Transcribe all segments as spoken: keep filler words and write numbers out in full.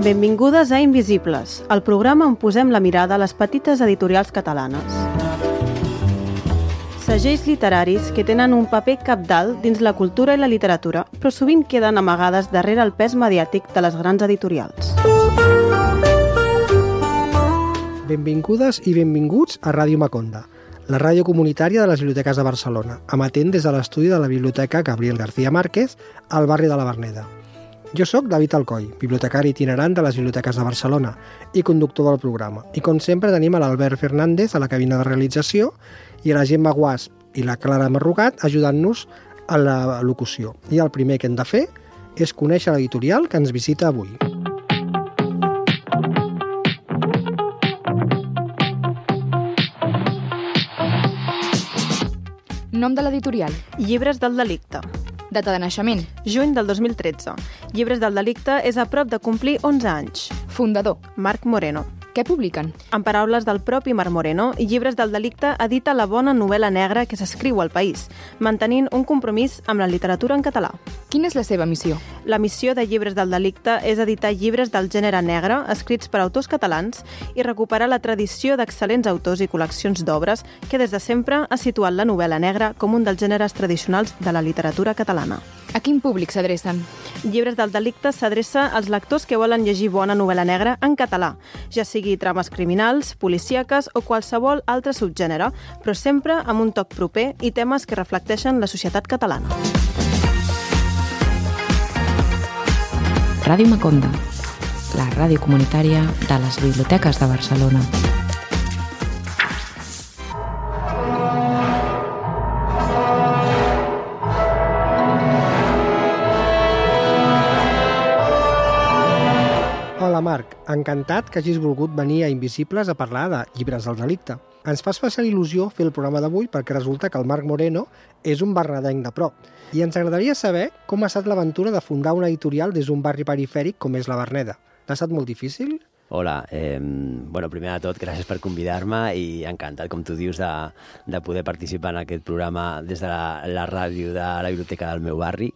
Benvingudes a Invisibles, el programa on posem la mirada a les petites editorials catalanes. Segells literaris que tenen un paper cabdal dins la cultura i la literatura, però sovint queden amagades darrere el pes mediàtic de les grans editorials. Benvingudes i benvinguts a Ràdio Maconda, la ràdio comunitària de les biblioteques de Barcelona, emetent des de l'estudi de la Biblioteca Gabriel García Márquez, al barri de la Verneda. Jo sóc David Alcoi, bibliotecari itinerant de les biblioteques de Barcelona i conductor del programa. I com sempre tenim a l'Albert Fernández a la cabina de realització i a la Gemma Guasp i la Clara Marrugat ajudant-nos a la locució. I el primer que hem de fer és conèixer l'editorial que ens visita avui. Nom de l'editorial. Llibres del delicte. Data de naixement. Juny del dos mil tretze. Llibres del delicte és a prop de complir onze anys. Fundador. Marc Moreno. Què publiquen? En paraules del propi Marc Moreno, Llibres del delicte edita la bona novel·la negra que s'escriu al país, mantenint un compromís amb la literatura en català. Quina és la seva missió? La missió de Llibres del delicte és editar llibres del gènere negre escrits per autors catalans i recuperar la tradició d'excel·lents autors i col·leccions d'obres que des de sempre ha situat la novel·la negra com un dels gèneres tradicionals de la literatura catalana. A quin públic s'adrecen? Llibres del delicte s'adreça als lectors que volen llegir bona novel·la negra en català, ja sigui trames criminals, policíaques o qualsevol altre subgènere, però sempre amb un toc proper i temes que reflecteixen la societat catalana. Ràdio Maconda, la ràdio comunitària de les biblioteques de Barcelona. Hola Marc, encantat que hagis volgut venir a Invisibles a parlar de Llibres del delicte. Ens fa especial il·lusió fer el programa d'avui perquè resulta que el Marc Moreno és un bernadenc de prop i ens agradaria saber com ha estat l'aventura de fundar una editorial des d'un barri perifèric com és la Verneda. T'ha estat molt difícil? Hola, eh, bueno, primer de tot, gràcies per convidar-me i encantat, com tu dius, de, de poder participar en aquest programa des de la, la ràdio de la biblioteca del meu barri.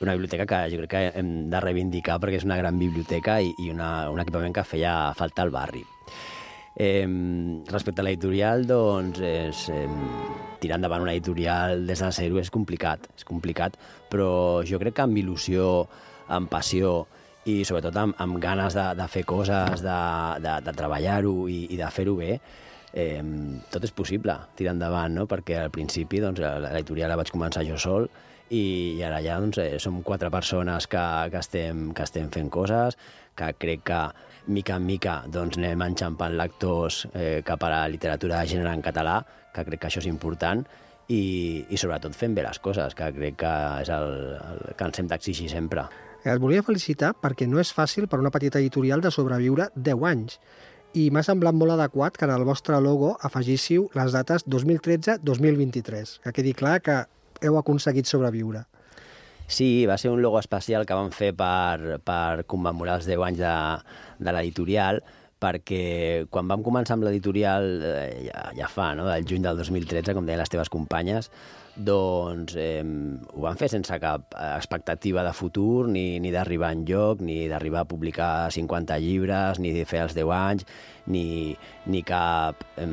Una biblioteca que jo crec que hem de reivindicar perquè és una gran biblioteca i, i una, un equipament que feia falta al barri. Eh, respecte a l'editorial, doncs, és, eh, tirar endavant una editorial des de zero és complicat, és complicat, però jo crec que amb il·lusió, amb passió i sobretot amb, amb ganes de, de fer coses, de, de, de treballar-ho i, i de fer-ho bé, eh, tot és possible tirar endavant, no? Perquè al principi doncs, l'editorial la vaig començar jo sol i ara ja doncs, eh, som quatre persones que, que, estem, que estem fent coses, que crec que mica en mica doncs, anem enxampant lectors eh, cap a la literatura de gènere en català, que crec que això és important, i, i sobretot fent bé les coses, que crec que és el, el que ens hem d'exigir sempre. Et volia felicitar perquè no és fàcil per una petita editorial de sobreviure deu anys. I m'ha semblat molt adequat que en el vostre logo afegíssiu les dates dos mil tretze dos mil vint-i-tres. Que quedi clar que heu aconseguit sobreviure. Sí, va ser un logo especial que vam fer per, per commemorar els deu anys de, de l'editorial, perquè quan vam començar amb l'editorial, eh, ja, ja fa, no?, del juny del dos mil tretze, com deien les teves companyes, doncs eh, ho vam fer sense cap expectativa de futur, ni, ni d'arribar enlloc, ni d'arribar a publicar cinquanta llibres, ni de fer els deu anys, ni, ni cap... Eh,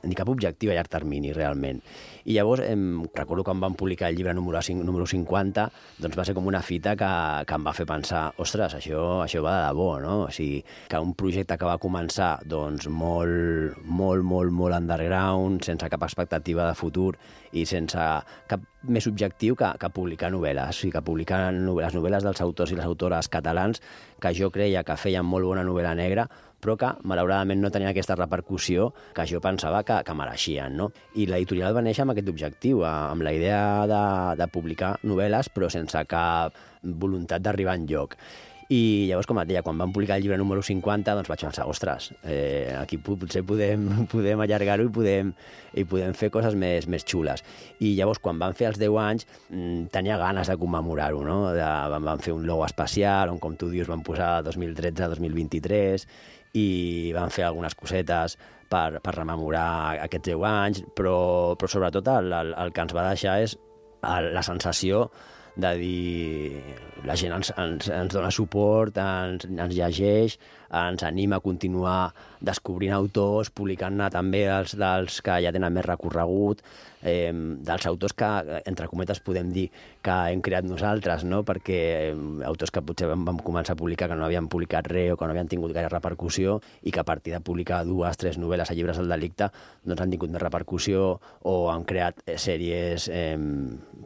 ni cap objectiu a llarg termini, realment. I llavors, em, recordo quan vam publicar el llibre número, número cinquanta, doncs va ser com una fita que, que em va fer pensar, ostres, això, això va de debò, no? O sigui, que un projecte que va començar doncs, molt, molt, molt, molt underground, sense cap expectativa de futur i sense cap més objectiu que, que publicar novel·les, o sigui, que publicar les novel·les dels autors i les autores catalans que jo creia que feien molt bona novel·la negra, però que, malauradament, no tenien aquesta repercussió que jo pensava que, que mereixien, no? I l'editorial va néixer amb aquest objectiu, amb la idea de, de publicar novel·les, però sense cap voluntat d'arribar enlloc. I llavors, com et deia, quan vam publicar el llibre número cinquanta, doncs vaig pensar, ostres, eh, aquí potser podem, podem allargar-ho i podem, i podem fer coses més, més xules. I llavors, quan vam fer els deu anys, tenia ganes de commemorar-ho, no? De, vam fer un logo especial, on, com tu dius, vam posar dos mil tretze dos mil vint-i-tres, i vam fer algunes cosetes per, per rememorar aquests deu anys, però, però sobretot el, el, el que ens va deixar és el, la sensació de dir la gent ens, ens, ens dona suport, ens, ens llegeix, ens anima a continuar descobrint autors, publicant-ne també els dels que ja tenen més recorregut, eh, dels autors que, entre cometes, podem dir que hem creat nosaltres, no? Perquè eh, autors que potser vam, vam començar a publicar que no havien publicat res o que no havien tingut gaire repercussió i que a partir de publicar dues, tres novel·les a Llibres del Delicte doncs han tingut més repercussió o han creat eh, sèries eh,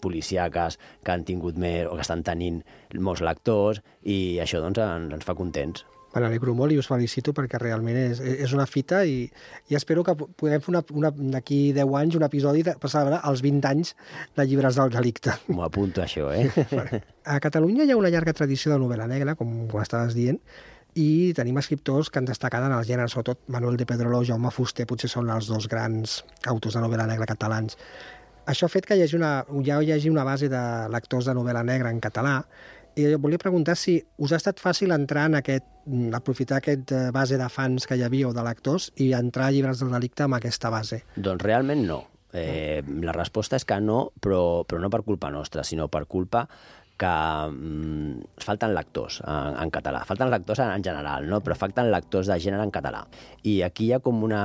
policíaques que han tingut més o que estan tenint molts lectors i això doncs ens, ens fa contents. Me n'alegro molt i us felicito perquè realment és, és una fita i, i espero que puguem fer una, una, d'aquí deu anys un episodi de passar a veure els vint anys de Llibres del Delicte. M'ho apunto, això, eh? A Catalunya hi ha una llarga tradició de novel·la negra, com ho estaves dient, i tenim escriptors que han destacat en el gènere, sobretot Manuel de Pedrolo o Jaume Fuster, potser són els dos grans autors de novel·la negra catalans. Això ha fet que hi hagi una, ja hi hagi una base de lectors de novel·la negra en català, i jo volia preguntar si us ha estat fàcil entrar en aquest, aprofitar aquest base de fans que hi havia o de lectors i entrar a Llibres del Delicte amb aquesta base. Doncs realment no. Eh, la resposta és que no, però, però no per culpa nostra, sinó per culpa que mm, falten lectors en, en català. Falten lectors en, en general, no? Però falten lectors de gènere en català. I aquí hi ha com una,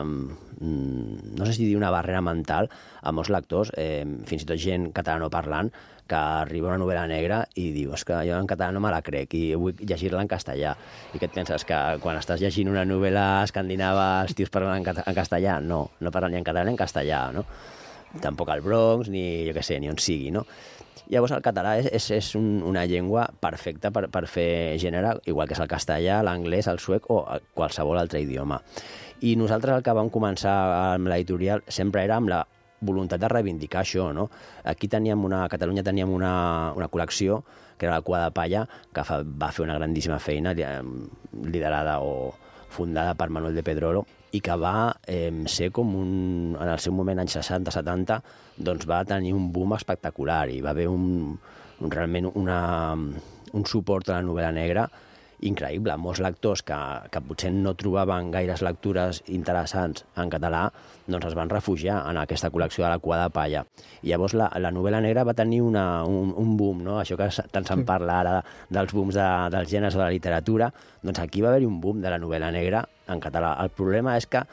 mm, no sé si dir una barrera mental a molts lectors, eh, fins i tot gent catalanoparlant, que arriba una novel·la negra i diu, és que jo en català no me la crec i vull llegir-la en castellà. I què et penses, que quan estàs llegint una novel·la escandinava els tios parlen en, en castellà? No, no parlen ni en català ni en castellà, no? Tampoc al Bronx, ni jo què sé, ni on sigui, no? Llavors el català és, és, és un, una llengua perfecta per, per fer gènere, igual que és el castellà, l'anglès, el suec o qualsevol altre idioma. I nosaltres el que vam començar amb l'editorial sempre era amb la voluntat de reivindicar això, no? Aquí teníem una, a Catalunya teníem una, una col·lecció, que era la Cua de Palla, que fa, va fer una grandíssima feina, liderada o fundada per Manuel de Pedrolo, i que va eh, ser com un, en el seu moment, anys seixanta setanta, doncs va tenir un boom espectacular i va haver un, un, realment una, un suport a la novel·la negra increïble. Molts lectors que, que potser no trobaven gaires lectures interessants en català, doncs es van refugiar en aquesta col·lecció de la Cua de Palla. I llavors la, la novel·la negra va tenir una, un, un boom, no? Això que tant se'n parla ara dels booms de, dels gèneres de la literatura, doncs aquí va haver-hi un boom de la novel·la negra en català. El problema és que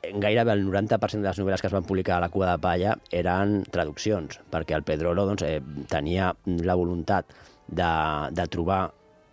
gairebé el noranta per cent de les novel·les que es van publicar a la Cua de Palla eren traduccions, perquè el Pedrolo doncs, eh, tenia la voluntat de, de trobar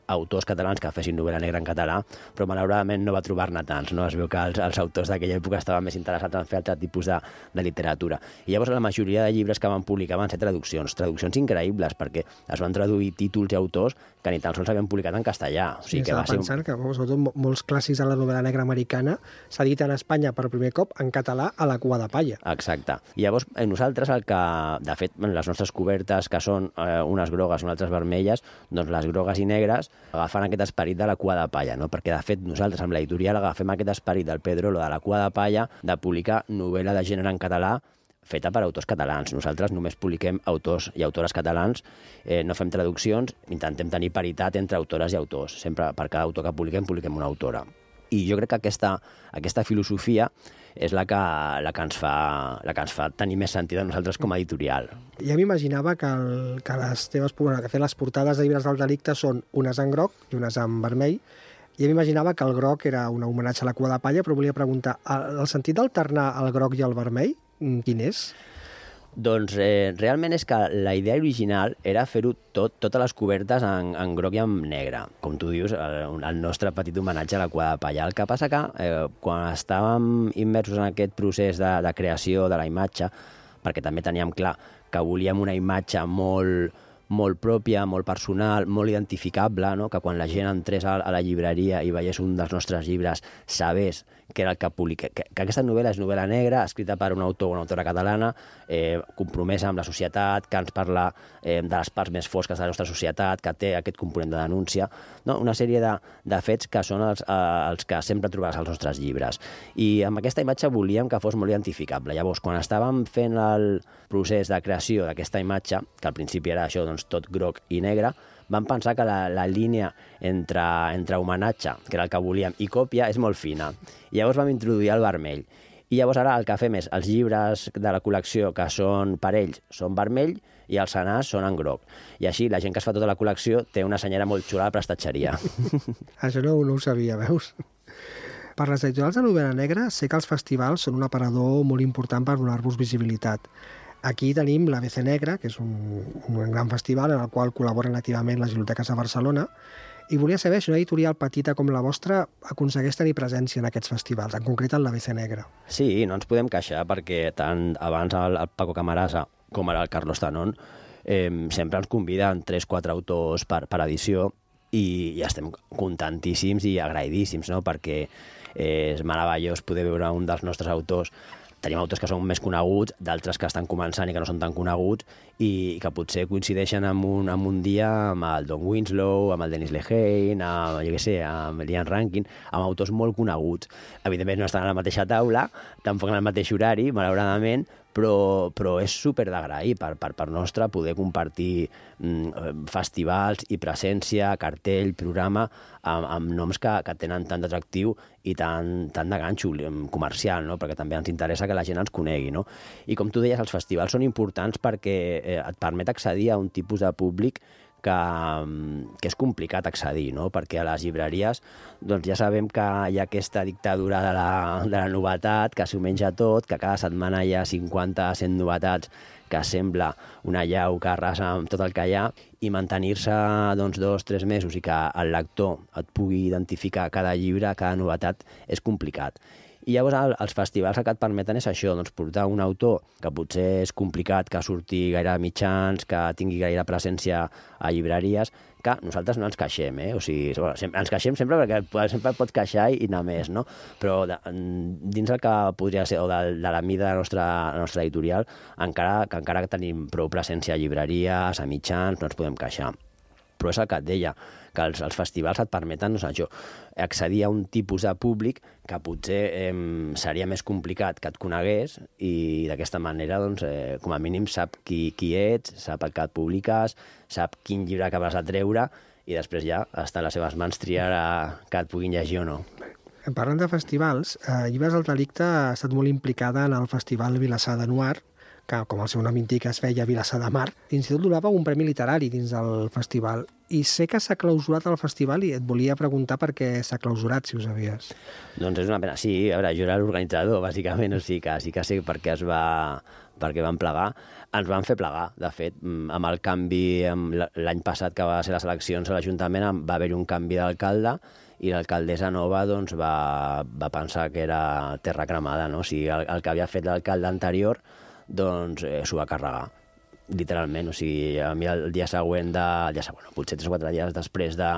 autors catalans que fessin novel·la negra en català, però malauradament no va trobar-ne tants, no? Es veu que els, els autors d'aquella època estaven més interessats en fer altre tipus de, de literatura. I llavors la majoria de llibres que van publicar van ser traduccions, traduccions increïbles, perquè es van traduir títols i autors que ni tan sols havien publicat en castellà. O sigui, sí, que va ser pensant un... que sobretot molts clàssics de la novel·la negra americana s'editen a Espanya per primer cop en català a la Cua de Palla. Exacte. I llavors nosaltres el que, de fet, les nostres cobertes, que són eh, unes grogues, unes altres vermelles, doncs les grogues i negres agafant aquest esperit de la Cua de Palla, no? Perquè de fet nosaltres amb l'editorial agafem aquest esperit del Pedrolo de la Cua de Palla de publicar novel·la de gènere en català feta per autors catalans. Nosaltres només publiquem autors i autores catalans, eh, no fem traduccions, intentem tenir paritat entre autores i autors. Sempre per cada autor que publiquem, publiquem una autora. I jo crec que aquesta, aquesta filosofia és la que, la, que ens fa, la que ens fa tenir més sentit a nosaltres com a editorial. Ja m'imaginava que, el, que les teves que fer les portades de Llibres del Delicte són unes en groc i unes en vermell. Ja m'imaginava que el groc era un homenatge a la Cua de Palla, però volia preguntar, el, el sentit d'alternar el groc i el vermell, quin és? Doncs eh, realment és que la idea original era fer-ho tot, totes les cobertes en, en groc i en negre. Com tu dius, el, el nostre petit homenatge a la Cua de Palla. El que passa que eh, quan estàvem immersos en aquest procés de, de creació de la imatge, perquè també teníem clar que volíem una imatge molt, molt pròpia, molt personal, molt identificable, no? Que quan la gent entrés a, a la llibreria i veiés un dels nostres llibres sabés que era el que publica, que, que aquesta novel·la és novel·la negra, escrita per un autor o una autora catalana, eh, compromesa amb la societat, que ens parla eh, de les parts més fosques de la nostra societat, que té aquest component de denúncia, no? Una sèrie de, de fets que són els, eh, els que sempre trobaràs als nostres llibres. I amb aquesta imatge volíem que fos molt identificable. Llavors, quan estàvem fent el procés de creació d'aquesta imatge, que al principi era això, doncs, tot groc i negre, vam pensar que la, la línia entre, entre homenatge, que era el que volíem, i còpia, és molt fina. I llavors vam introduir el vermell. I llavors ara el que fem és els llibres de la col·lecció que són per ells són vermell i els senars són en groc. I així la gent que es fa tota la col·lecció té una senyera molt xula a la prestatgeria. Això no, no ho sabia, veus? Per les editorials de novel·la negra sé que els festivals són un aparador molt important per donar-vos visibilitat. Aquí tenim l'A B C Negra, que és un, un gran festival en el qual col·laboren activament les biblioteques de Barcelona, i volia saber si una editorial petita com la vostra aconsegueix tenir presència en aquests festivals, en concret en l'A B C Negra. Sí, no ens podem queixar perquè tant abans el, el Paco Camarasa com ara el Carlos Tanón eh, sempre ens conviden tres o quatre autors per, per edició i, i estem contentíssims i agraïdíssims, no? Perquè eh, és meravellós poder veure un dels nostres autors. Tenim autors que són més coneguts, d'altres que estan començant i que no són tan coneguts i que potser coincideixen en un, en un dia amb el Don Winslow, amb el Dennis Lehane, amb, jo què sé, amb l'Ian Rankin, amb autors molt coneguts. Evidentment no estan a la mateixa taula, tampoc en el mateix horari, malauradament, però, però és super d'agrair per, per, per nostre poder compartir mm, festivals i presència, cartell, programa, amb, amb noms que, que tenen tant d'atractiu i tant, tant de ganxo comercial, no? Perquè també ens interessa que la gent ens conegui. No? I com tu deies, els festivals són importants perquè eh, et permet accedir a un tipus de públic que, que és complicat accedir, no? Perquè a les llibreries doncs ja sabem que hi ha aquesta dictadura de la, de la novetat, que s'ho menja tot, que cada setmana hi ha cinquanta a cent novetats, que sembla una llau que arrasa amb tot el que hi ha, i mantenir-se doncs, dos o tres mesos i que el lector et pugui identificar cada llibre, cada novetat, és complicat. I llavors el, els festivals que et permeten és això, doncs, portar un autor que potser és complicat que surti gaire a mitjans, que tingui gaire presència a llibreries, que nosaltres no ens queixem, eh? O sigui, bueno, sempre, ens queixem sempre perquè sempre pots queixar i anar més, no? Però de, dins el que podria ser, o de, de la mida de la nostra, la nostra editorial, encara que encara que tenim prou presència a llibreries, a mitjans, no ens podem queixar. Però és el que et deia, que els, els festivals et permeten, no sé, això, accedir a un tipus de públic que potser eh, seria més complicat que et conegués i d'aquesta manera, doncs, eh, com a mínim sap qui, qui ets, sap el que et publiques, sap quin llibre acabes de treure i després ja està a les seves mans triar a, que et puguin llegir o no. Parlant de festivals, eh, Llibres del Delicte ha estat molt implicada en el Festival Vilassar de Noir, que, com el seu nom indica, es feia Vilassar de Mar. L'Institut donava un premi literari dins del festival. I sé que s'ha clausurat el festival i et volia preguntar per què s'ha clausurat, si ho sabies. Doncs és una pena. Sí, a veure, jo era l'organitzador, bàsicament, o sigui que sí que sé per què es va... perquè van plegar. Ens van fer plegar, de fet, amb el canvi, amb l'any passat que va ser les eleccions a l'Ajuntament, va haver-hi un canvi d'alcalde i l'alcaldessa nova doncs, va, va pensar que era terra cremada, no? O sigui, el, el que havia fet l'alcalde anterior doncs eh, s'ho va carregar, literalment. O sigui, a mi el dia següent, de, el dia següent, potser tres o quatre dies després de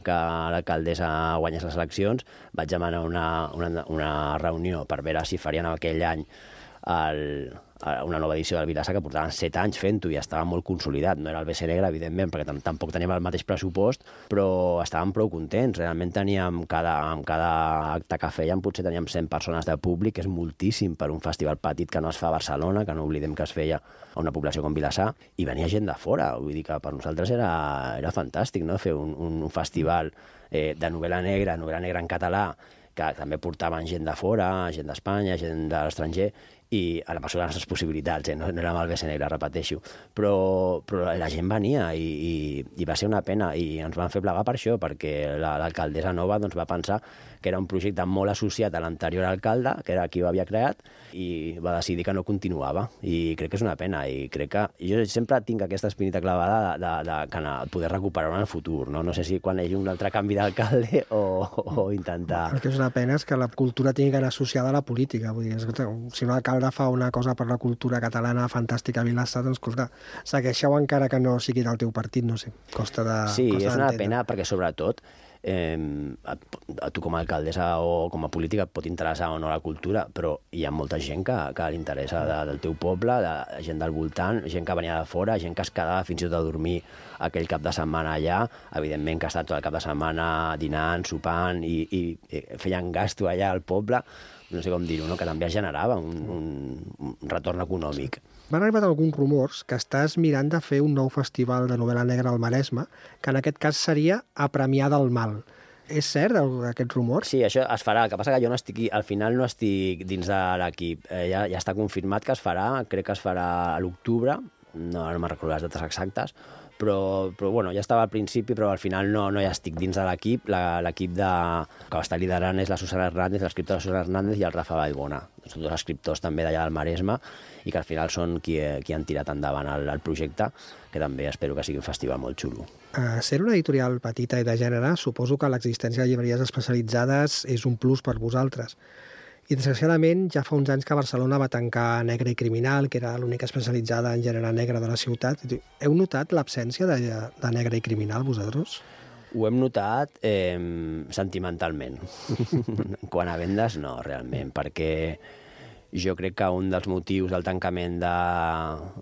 que l'alcaldessa guanyés les eleccions, vaig demanar una, una, una reunió per veure si farien aquell any el, una nova edició del Vilassar, que portaven set anys fent-ho i estava molt consolidat. No era el B C Negra, evidentment, perquè tampoc teníem el mateix pressupost, però estàvem prou contents. Realment teníem, cada, en cada acte que fèiem, potser teníem cent persones de públic, que és moltíssim per un festival petit que no es fa a Barcelona, que no oblidem que es feia a una població com Vilassar, i venia gent de fora. Vull dir que per nosaltres era, era fantàstic, no?, fer un, un festival eh, de novel·la negra, novel·la negra en català, que també portaven gent de fora, gent d'Espanya, gent de l'estranger, i a la mesura de les nostres possibilitats, eh? no, no era amb el B C Negra, repeteixo, però, però la gent venia i, i, i va ser una pena i ens van fer plegar per això, perquè l'alcaldessa la, nova doncs, va pensar que era un projecte molt associat a l'anterior alcalde, que era qui ho havia creat, i va decidir que no continuava, i crec que és una pena, i crec que jo sempre tinc aquesta espinita clavada de, de, de, de poder recuperar-ho en el futur, no? No sé si quan hi hagi un altre canvi d'alcalde o, o intentar... El que és una pena és que la cultura tingui que anar associada a la política, vull dir, escolta, si un alcalde fa una cosa per la cultura catalana fantàstica a Vilassar, doncs, escolta, segueixeu encara que no sigui del teu partit, no sé, costa de... Sí, costa és una pena perquè, sobretot, eh, a, a tu com a alcaldessa o com a política et pot interessar o no la cultura, però hi ha molta gent que, que li interessa de, del teu poble, de gent del voltant, gent que venia de fora, gent que es quedava fins i tot a dormir aquell cap de setmana allà, evidentment que ha estat tot el cap de setmana dinant, sopant i, i, i feien gasto allà al poble, no sé com dir-ho, no? Que també es generava un, un, un retorn econòmic. M'han arribat alguns rumors que estàs mirant de fer un nou festival de novel·la negra al Maresme, que en aquest cas seria a Premià del Mal. És cert aquest rumor? Sí, això es farà. El que passa que jo no estic, al final no estic dins de l'equip. Eh, ja, ja està confirmat que es farà, crec que es farà a l'octubre, no, no me'n recordo les dates exactes, però, però bueno, ja estava al principi, però al final no, no ja estic dins de l'equip. L'equip de... que està liderant és la Susana Hernández, l'escriptora Susana Hernández i el Rafa Vallbona. Són dos escriptors també d'allà del Maresme i que al final són qui, qui han tirat endavant el, el projecte, que també espero que sigui un festival molt xulo. A ser una editorial petita i de gènere, suposo que l'existència de llibreries especialitzades és un plus per vosaltres. I, desgraciadament, ja fa uns anys que Barcelona va tancar Negre i Criminal, que era l'única especialitzada en gènere negre de la ciutat. Heu notat l'absència de, de Negre i Criminal, vosaltres? Ho hem notat eh, sentimentalment. Quan a vendes, no, realment, perquè jo crec que un dels motius del tancament de,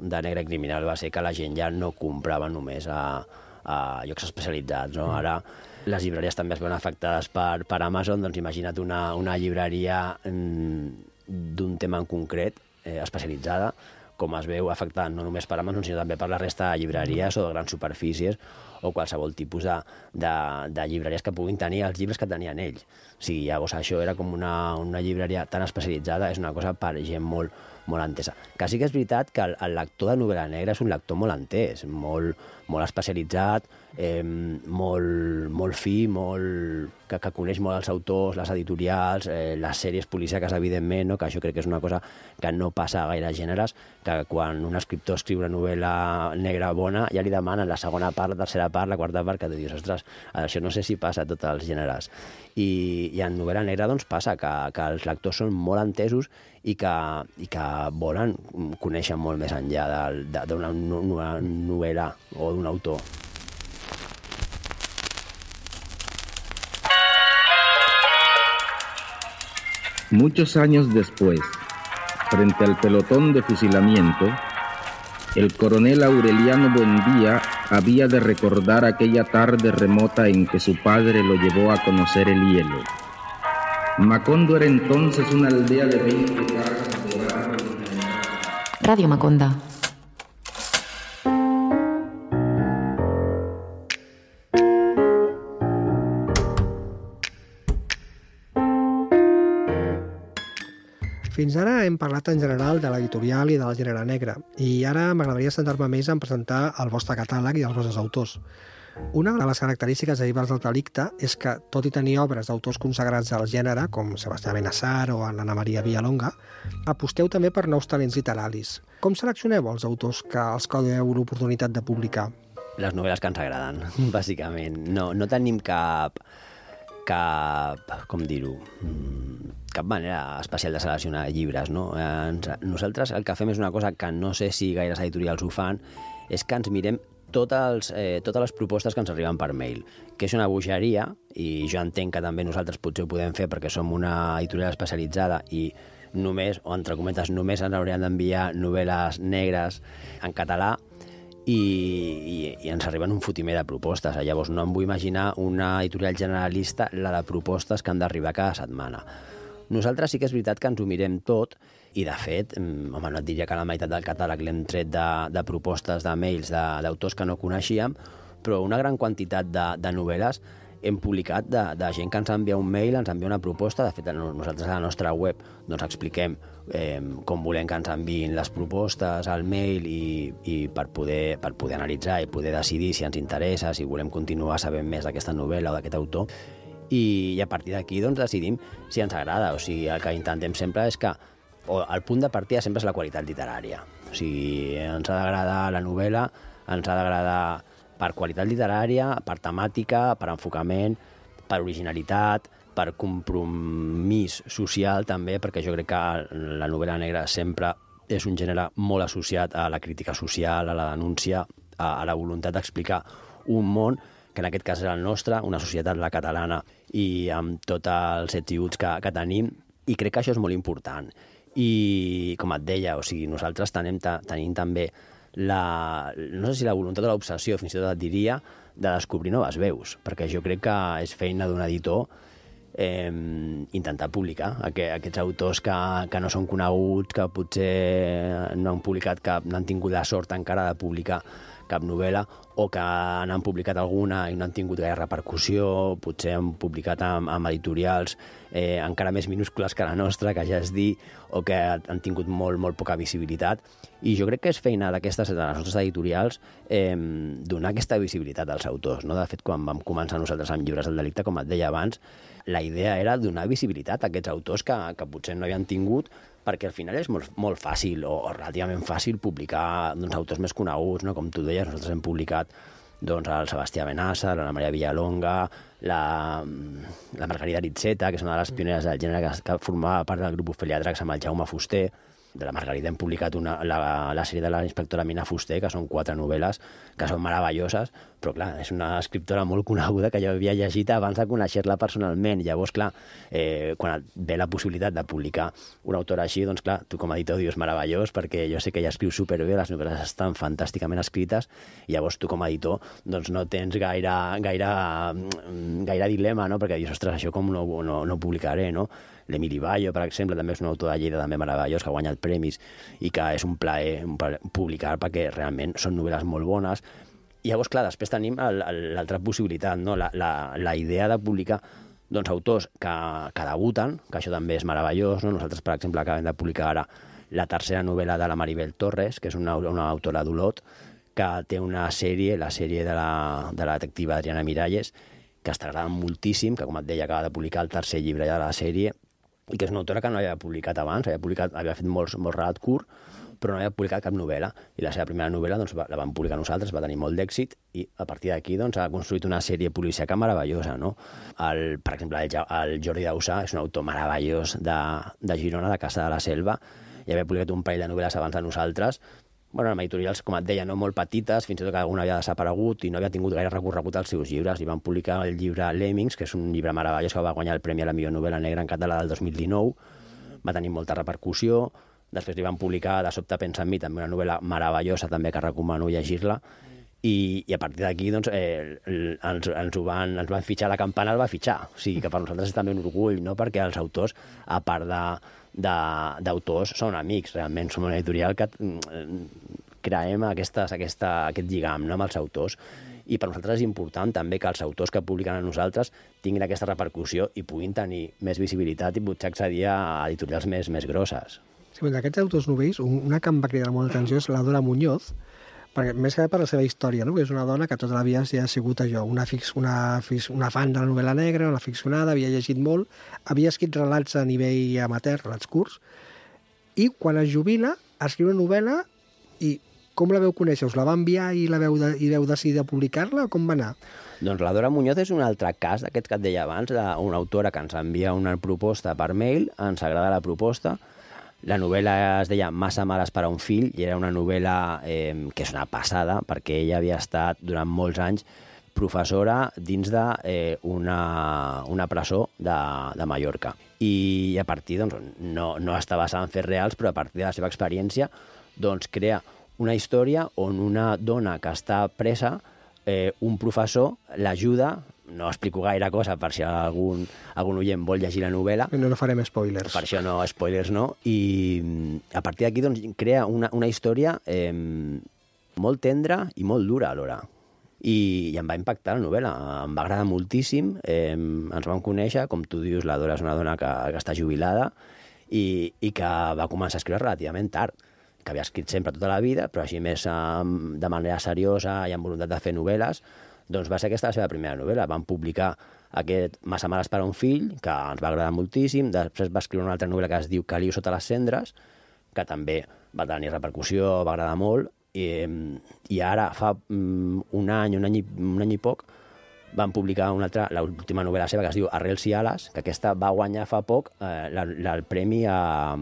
de Negre i Criminal va ser que la gent ja no comprava només a, a llocs especialitzats, no? Ara les llibreries també es veuen afectades per, per Amazon, doncs imagina't una, una llibreria d'un tema en concret, eh, especialitzada, com es veu afectada no només per Amazon, sinó també per la resta de llibreries o de grans superfícies o qualsevol tipus de, de, de llibreries que puguin tenir els llibres que tenien ells. O sigui, llavors això era com una, una llibreria tan especialitzada, és una cosa per gent molt, molt entesa. Que sí que és veritat que el, el lector de novel·la negra és un lector molt entès, molt, molt especialitzat, eh, molt, molt fi, molt, que, que coneix molt els autors, les editorials, eh, les sèries policíaques, evidentment, no? Que això crec que és una cosa que no passa a gaire gèneres, que quan un escriptor escriu una novel·la negra bona ja li demanen la segona part, la tercera part, la quarta part, que tu dius, ostres, això no sé si passa a tots els gèneres. I, i en novel·la negra doncs, passa que, que els lectors són molt entesos i que, i que volen conèixer molt més enllà d'una novel·la o d'un autor. Muchos años después, frente al pelotón de fusilamiento, el coronel Aureliano Buendía había de recordar aquella tarde remota en que su padre lo llevó a conocer el hielo. Macondo era entonces una aldea de veinte casas de barro. Radio Maconda. Fins ara hem parlat en general de l'editorial i del gènere negre, i ara m'agradaria centrar-me més en presentar el vostre catàleg i els vostres autors. Una de les característiques de Llibres del Delicte és que, tot i tenir obres d'autors consagrats al gènere, com Sebastià Benassar o l'Anna Maria Villalonga, aposteu també per nous talents literaris. Com seleccioneu els autors que els que doneu l'oportunitat de publicar? Les novel·les que ens agraden, bàsicament. No, no tenim cap... cap... com dir-ho... cap manera especial de seleccionar llibres, no? Nosaltres el que fem és una cosa que no sé si gaires editorials ho fan, és que ens mirem totes, eh, totes les propostes que ens arriben per mail, que és una bogeria, i jo entenc que també nosaltres potser ho podem fer perquè som una editorial especialitzada i només, o entre cometes, només ens haurien d'enviar novel·les negres en català, i, i, i ens arriben un fotimer de propostes. Llavors no em vull imaginar una editorial generalista, la de propostes que han d'arribar cada setmana. Nosaltres sí que és veritat que ens ho mirem tot i, de fet, home, no et diria que la meitat del catàleg l'hem tret de, de propostes, de mails, d'autors que no coneixíem, però una gran quantitat de, de novel·les hem publicat de, de gent que ens envia un mail, ens envia una proposta. De fet, nosaltres a la nostra web doncs, expliquem eh, com volem que ens enviïn les propostes al mail i, i per, poder, per poder analitzar i poder decidir si ens interessa, si volem continuar sabent més d'aquesta novel·la o d'aquest autor. I, i a partir d'aquí doncs, decidim si ens agrada. O sigui, el que intentem sempre és que o el punt de partida sempre és la qualitat literària. O sigui, ens ha d'agradar la novel·la, ens ha d'agradar per qualitat literària, per temàtica, per enfocament, per originalitat, per compromís social també, perquè jo crec que la novel·la negra sempre és un gènere molt associat a la crítica social, a la denúncia, a, a la voluntat d'explicar un món que en aquest cas és el nostre, una societat, la catalana, i amb tots els ets i uts que, que tenim, i crec que això és molt important. I, com et deia, o sigui, nosaltres tenim, tenim també la, no sé si la voluntat o l'obsessió, fins i tot et diria, de descobrir noves veus, perquè jo crec que és feina d'un editor eh, intentar publicar aqu aquests autors que, que no són coneguts, que potser no han publicat cap, no han tingut la sort encara de publicar cap novel·la, o que n'han publicat alguna i no han tingut gaire repercussió, potser han publicat amb, amb editorials eh, encara més minúscules que la nostra, que ja és dir, o que han tingut molt, molt poca visibilitat. I jo crec que és feina d'aquestes, de les nostres editorials, eh, donar aquesta visibilitat als autors. No? De fet, quan vam començar nosaltres amb Llibres del Delicte, com et deia abans, la idea era donar visibilitat a aquests autors que, que potser no havien tingut, perquè al final és molt, molt fàcil, o, o relativament fàcil, publicar doncs, autors més coneguts, no? Com tu deies, nosaltres hem publicat doncs, el Sebastià Benassa, la Maria Villalonga, la, la Margarida Ritzeta, que és una de les pioneres del gènere, que, que formava part del grup Ofèlia Dracs amb el Jaume Fuster. De la Margarida hem publicat una, la, la sèrie de la inspectora Mina Fuster, que són quatre novel·les que són meravelloses, però clar, és una escriptora molt coneguda que jo havia llegit abans de conèixer-la personalment. Llavors, clar, eh, quan et ve la possibilitat de publicar una autora així, doncs clar, tu com a editor dius meravellós, perquè jo sé que ella escriu superbé, les novel·les estan fantàsticament escrites, i llavors tu com a editor doncs no tens gaire, gaire, gaire dilema, no? Perquè dius, ostres, això com no, no, no publicaré, no? L'Emili Bayo, per exemple, també és un autor de Lleida també meravellós, que ha guanyat premis i que és un plaer, un plaer publicar, perquè realment són novel·les molt bones. I llavors, clar, després tenim l'altra possibilitat, no? la, la, la idea de publicar doncs, autors que, que debuten, que això també és meravellós. No? Nosaltres, per exemple, acabem de publicar ara la tercera novel·la de la Maribel Torres, que és una, una autora d'Olot, que té una sèrie, la sèrie de la, de la detectiva Adriana Miralles, que està agradant moltíssim, que, com et deia, acaba de publicar el tercer llibre ja de la sèrie, i que és una autora que no havia publicat abans, havia, publicat, havia fet molts, molt relat curt, però no havia publicat cap novel·la. I la seva primera novel·la doncs, la vam publicar nosaltres, va tenir molt d'èxit, i a partir d'aquí doncs, ha construït una sèrie policíaca meravellosa. No? El, per exemple, el, el Jordi Dausà és un autor meravellós de, de Girona, de Casa de la Selva, i havia publicat un parell de novel·les abans de nosaltres, bueno, amb editorials, com et deia, no molt petites, fins i tot que alguna havia desaparegut i no havia tingut gaire recorregut als seus llibres. I van publicar el llibre Lemmings, que és un llibre meravellós que va guanyar el Premi a la millor novel·la negra en català del dos mil dinou. Va tenir molta repercussió. Després li van publicar De sobte pensa en mi, també una novel·la meravellosa, també que recomano llegir-la. I, i a partir d'aquí doncs, eh, ens, ens, ho van, ens van fitxar, la campana el va fitxar. O sigui que per nosaltres és també un orgull, no? Perquè els autors, a part de d'autors, són amics, realment som una editorial que creem aquestes, aquesta, aquest lligam, no? Amb els autors, i per nosaltres és important també que els autors que publiquen a nosaltres tinguin aquesta repercussió i puguin tenir més visibilitat i potser accedir a editorials més, més grosses. Sí, d'aquests autors novells, una que em va cridar molt l'atenció és la Dora Muñoz, perquè més que per la seva història, no? Perquè és una dona que tota la vida ja ha sigut allò, una, fix, una, fix, una fan de la novel·la negra, una ficcionada, havia llegit molt, havia escrit relats a nivell amateur, relats curts, i quan es jubila, escriu una novel·la, i com la veu conèixer? Us la va enviar i la veu, de, i veu decidir publicar-la, o com va anar? Doncs la Dora Muñoz és un altre cas d'aquest que et deia abans, d'una autora que ens envia una proposta per mail, ens agrada la proposta. La novel·la es deia Massa males per a un fill, i era una novel·la eh, que és una passada, perquè ella havia estat durant molts anys professora dins d'una eh, una, una presó de, de Mallorca. I a partir, doncs, no, no està basada en fets reals, però a partir de la seva experiència doncs, crea una història on una dona que està presa, eh, un professor l'ajuda. No explico gaire cosa per si algun, algun oient vol llegir la novel·la. No, no farem spoilers. Per això no, spoilers no. I a partir d'aquí doncs, crea una, una història eh, molt tendra i molt dura alhora. I, I em va impactar la novel·la, em va agradar moltíssim. Eh, ens vam conèixer, com tu dius, la Dora és una dona que, que està jubilada i, i que va començar a escriure relativament tard, que havia escrit sempre tota la vida, però així més eh, de manera seriosa i amb voluntat de fer novel·les. Doncs va ser aquesta la seva primera novel·la. Van publicar aquest Massa males per a un fill, que ens va agradar moltíssim. Després va escriure una altra novel·la que es diu Caliu sota les cendres, que també va tenir repercussió, va agradar molt. I, i ara, fa um, un any, un any, i, un any i poc, van publicar una altra, l'última novel·la seva, que es diu Arrels i ales, que aquesta va guanyar fa poc eh, la, la, el premi a,